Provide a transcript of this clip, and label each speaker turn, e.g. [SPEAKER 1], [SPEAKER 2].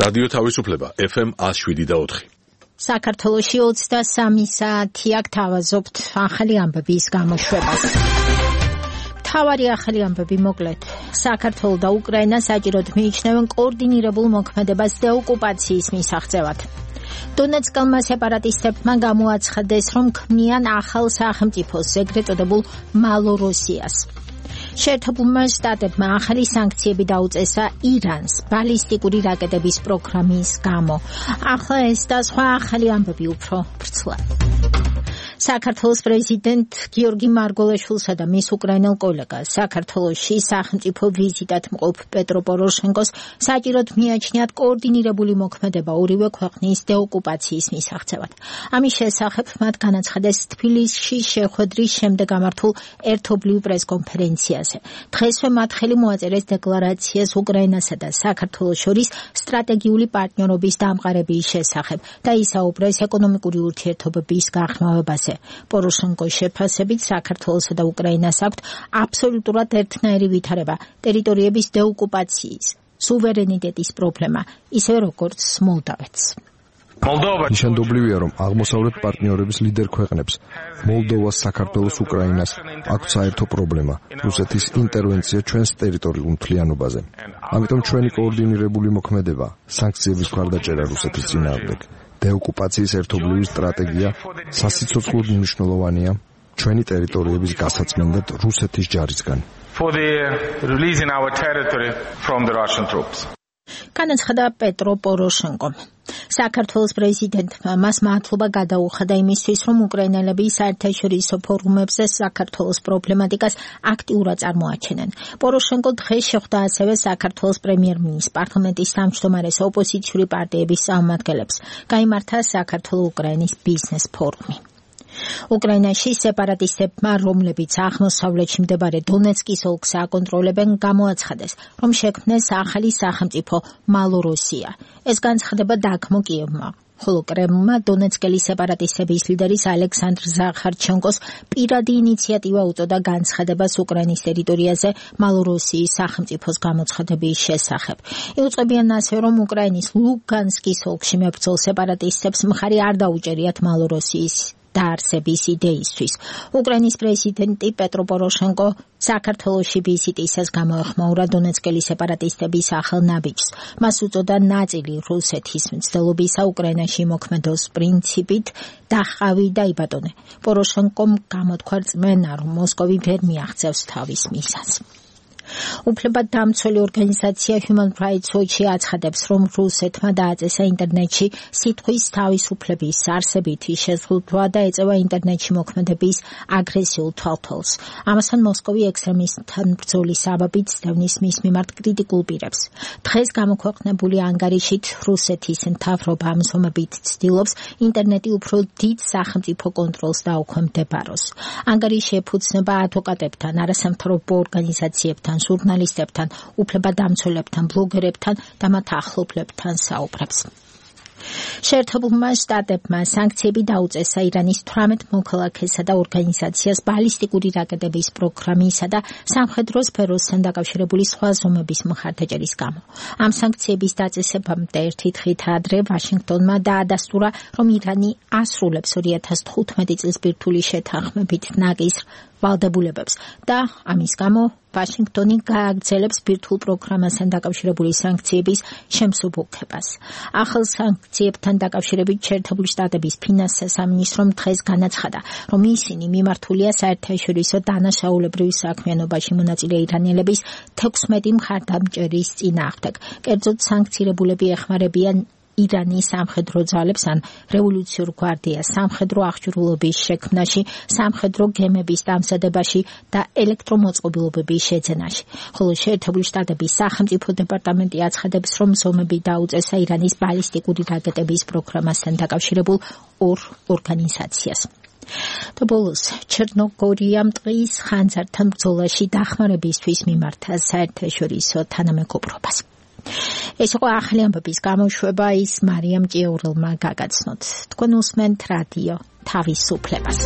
[SPEAKER 1] რადიო თავისუფლება FM 107.4.
[SPEAKER 2] საქართველოში 23 საათი აქ თავაზობთ ახალი ამბების გამოშვებას. მთავარი ახალი ამბები მოკლედ. საქართველო და უკრაინა საჭიროდ მიიჩნევენ კოორდინირებულ მოქმედებას დეოკუპაციის მისაღწევად. დონეცკელმა სეპარატისტებმა გამოაცხადეს, რომ ქმნიან ახალ სახელმწიფოს, ეგრეთ წოდებულ მალოროსიას. შეერთებულმა შტატებმა ახალი სანქციები დაუწესა ირანს ბალისტიკური რაკეტების პროგრამის გამო. ახლა ეს და სხვა ახალი ამბები უფრო ვრცლად. საქართველოს პრეზიდენტ გიორგი მარგველაშვილსა და მის უკრაინელ კოლეგას საქართველოში სახელმწიფო ვიზიტად მყოფ პეტრო პოროშენკოს საჭიროდ მიაჩნიათ კოორდინირებული მოქმედება ორივე ქვეყნის დეოკუპაციის მისაღწევად. ამის შესახებ მათ განაცხადეს თბილისში შეხვედრის შემდეგ გამართულ ერთობლივ პრესკონფერენციაზე. დღესვე მათ ხელი მოაწერეს დეკლარაციას უკრაინასა და საქართველოს შორის სტრატეგიული პარტნიორობის დამყარების შესახებ და ისაუბრეს ეკონომიკური ურთიერთობების გახმოვებაზე. პოროშენკოს შეფასებით საქართველოსა და უკრაინას აქვთ აბსოლუტურად ერთნაირი ვითარება ტერიტორიების დეოკუპაციის, სუვერენიტეტის პრობლემა, ისევე როგორც მოლდოვეთს.
[SPEAKER 3] ნიშანდობლივია, რომ აღმოსავლეთ პარტნიორების ლიდერ ქვეყნებს მოლდოვას, საქართველოს, უკრაინას აქვთ საერთო პრობლემა რუსეთის ინტერვენცია ჩვენს ტერიტორიულ მთლიანობაზე. ამიტომ ჩვენი კოორდინირებული მოქმედება, სანქციების მხარდაჭერა რუსეთის წინააღმდეგ, დეოკუპაციის ერთობლივი სტრატეგია სასიცოცხლოდ მნიშვნელოვანია ჩვენი ტერიტორიების გასაწმენდად რუსეთის ჯარისგან.
[SPEAKER 2] განაცხადა პეტრო პოროშენკო. საქართველოს პრეზიდენტმა მას მადლობა გადაუხადა იმისთვის, რომ უკრაინელები საერთაშორისო ფორუმებზე საქართველოს პრობლემატიკას აქტიურად წარმოაჩენენ. პოროშენკო დღეს შეხვდა ასევე საქართველოს პრემიერ-მინისტრს, პარლამენტის თავმჯდომარეს, ოპოზიციური პარტიების წარმომადგენლებს. გაიმართა საქართველო-უკრაინის ბიზნეს ფორუმი. უკრაინაში სეპარატისტებმა, რომლებიც აღმოსავლეთში მდებარე დონეცკის ოლქს აკონტროლებენ, გამოაცხადეს, რომ შექმნეს ახალი სახელმწიფო მალოროსია. ეს განცხადება დაგმო კიევმა, ხოლო კრემლმა დონეცკელი სეპარატისტების ლიდერის ალექსანდრ ზახარჩენკოს პირადი ინიციატივა უწოდა განცხადებას უკრაინის ტერიტორიაზე მალოროსიის სახელმწიფოს გამოცხადების შესახებ. იუწყებიან ასევე, რომ უკრაინის ლუგანსკის ოლქში მებრძოლ სეპარატისტებს მხარი არ დაუჭერიათ მალოროსიის დაარსების იდეისთვის. უკრაინის პრეზიდენტი პეტრო პოროშენკო საქართველოში ვიზიტისას გამოეხმაურა დონეცკელი სეპარატისტების ახალ ნაბიჯს. მას უწოდა ნაწილი რუსეთის მცდელობისა უკრაინაში მოქმედოს პრინციპით დახავი და იბატონე. პოროშენკომ გამოთქვა რწმენა, რომ მოსკოვი ვერ მიაღწევს თავის მიზანს. უფლებადამცველი ორგანიზაცია Human Rights Watch აცხადებს, რომ რუსეთმა დააწესა ინტერნეტში სიტყვის თავისუფლების არსებითი შეზღუდვა და ეწევა ინტერნეტში მოქმედების აგრესიულ თვალთვალს. ამასთან მოსკოვი ექსტრემისტთან ბრძოლის საბაბით სდევნის მის მიმართ კრიტიკულ პირებს. დღეს გამოქვეყნებული ანგარიშით რუსეთის მთავრობა ამჟამად ცდილობს ინტერნეტი უფრო დიდ სახელმწიფო კონტროლს დაუქვემდებაროს. ანგარიში ეფუძნება ადვოკატებთან, არასამთავრობო ორგანიზაციებთან, ჟურნალისტებთან, უფლებადამცველებთან, ბლოგერებთან და მათ ახლობლებთან საუბრებს. შეერთებულმა შტატებმა სანქციები დაუწესა ირანის 18 მოქალაქესა და ორგანიზაციას ბალისტიკური რაკეტების პროგრამისა და სამხედრო სფეროსთან დაკავშირებული სხვა ზომების მხარდაჭერის გამო. ამ სანქციების დაწესებამდე ერთი დღით ადრე ვაშინგტონმა დაადასტურა, რომ ირანი ასრულებს 2015 წლის ბირთვული შეთანხმებით ნაკისრ ვალდებულებებს და ამის გამო ვაშინგტონი გააგრძელებს ბირთვულ პროგრამასთან დაკავშირებული სანქციების შემსუბუქებას. ახალ სანქციებთან დაკავშირებით შეერთებული შტატების ფინანსთა სამინისტრომ დღეს განაცხადა, რომ ისინი მიმართულია საერთაშორისო დანაშაულებრივ საქმიანობაში მონაწილე ირანელების 16 მხარდამჭერის წინააღმდეგ. კერძოდ სანქცირებულები ეხმარებიან ირანის სამხედრო ძალებს ან რევოლუციურ გვარდიას სამხედრო აღჭურვილობის შექმნაში, სამხედრო გემების დამზადებაში და ელექტრომოწყობილობების შეძენაში. ხოლო შეერთებული შტატების სახელმწიფო დეპარტამენტი აცხადებს, რომ ზომები დაუწესა ირანის ბალისტიკური რაკეტების პროგრამასთან დაკავშირებულ ორ ორგანიზაციას. და ბოლოს ჩერნოგორიამ ტყის ხანძართან ბრძოლაში დახმარებისთვის მიმართა საერთაშორისო თანამეგობრობას. ეს იყო ახალი ამბების გამოშვება, ის მარიამ ჭიაურელმა გაგაცნოთ. თქვენ უსმენთ რადიო თავისუფლებას.